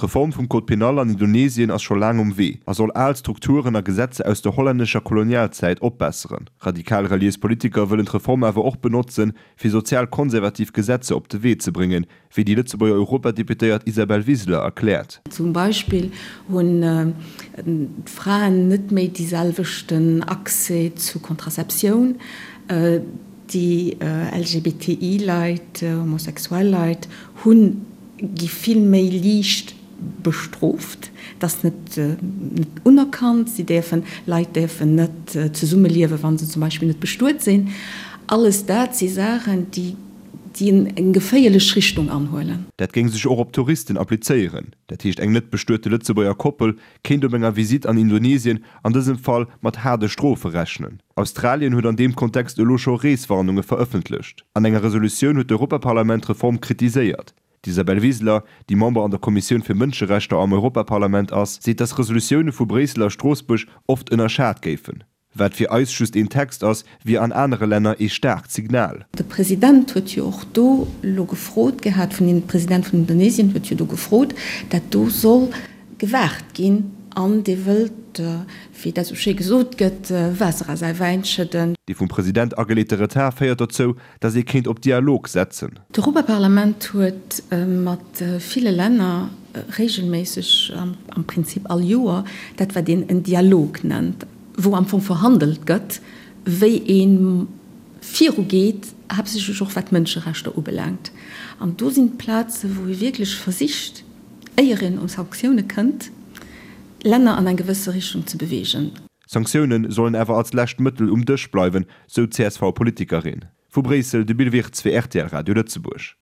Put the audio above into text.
D'Reform vum Code pénal an Indonesien ass scho laang um Wee a soll al Strukturen a Gesetzer aus der hollännescher Kolonialzäit opbesseren. Radikal reliéis Politiker wëllen d'Reform awer och benotzen, fir sozial-konservativ Gesetzer op de Wee ze bréngen, wéi déi Lëtzebuerger Europadeputéiert Isabel Wiseler erkläert. Zum Beispill hunn d'Fraen net méi déi selwechten Accès zu Contraceptioun, déi LGBTI-Leit, homosexuell Leit hunn, gi vill méi liicht bestrooft, et ass net unerkannt, si däerfen, Leit däerfen net zesummeliewen, wa se zum Beispill net bestuet sinn. Alles dat si Saachen, déi déi eng geféierlech Richtung anhuelen. Dat géing sech och op Touristen applizéieren. Dat heescht eng net bestuete Lëtzebuerger Koppel kéint op enger Visitt an Indonesien an dësem Fall mat haarde Strofe rechnen. Australien huet an deem Kontext elo scho Reeswarnunge verëffentlecht. An enger Resolutioun huet d'Europaparlament d'Reform kritiséiert. D'Isabel Wiseler, déi Member an der Kommissioun fir Mënscherechter am Europaparlament ass, seet, datt Resolutioune vu Bréissel a Stroossbuerg oft ënnerschat géifen. Wat fir eis just een Text ass, wier an anere Länner ee staarkt Signal. De President huet jo och do elo gefrot gehat, vun den, de President vun Indonesien huet jo do gefrot, dat do soll gewaart ginn an dee wëllt, wéi dat esou schéi gesot gëtt, Waasser a säi Wäin schëdden. Dee vum President ageleete Retard féiert dozou, datt ee kéint op Dialog setzen. D'Europaparlament huet mat ville Länner regelméisseg, am Prinzip all Joer, dat wat een en Dialog nennt, wou am Fong verhandelt gëtt, wéi ee virugeet, haaptsächlech och wat d'Mënscherechter ubelaangt. An do sinn d'Plaze wou ee wierklech versicht, éier een u Sanktioune kënnt, Länner an eng gewësse Richtung ze beweegen. Sanktioune sollen awer als lescht Mëttel um Dësch bleiwen, sou d'CSV-Politikerin. Vu Bréissel de Bill Wirtz fir rtl Radio Lëtzebuerg.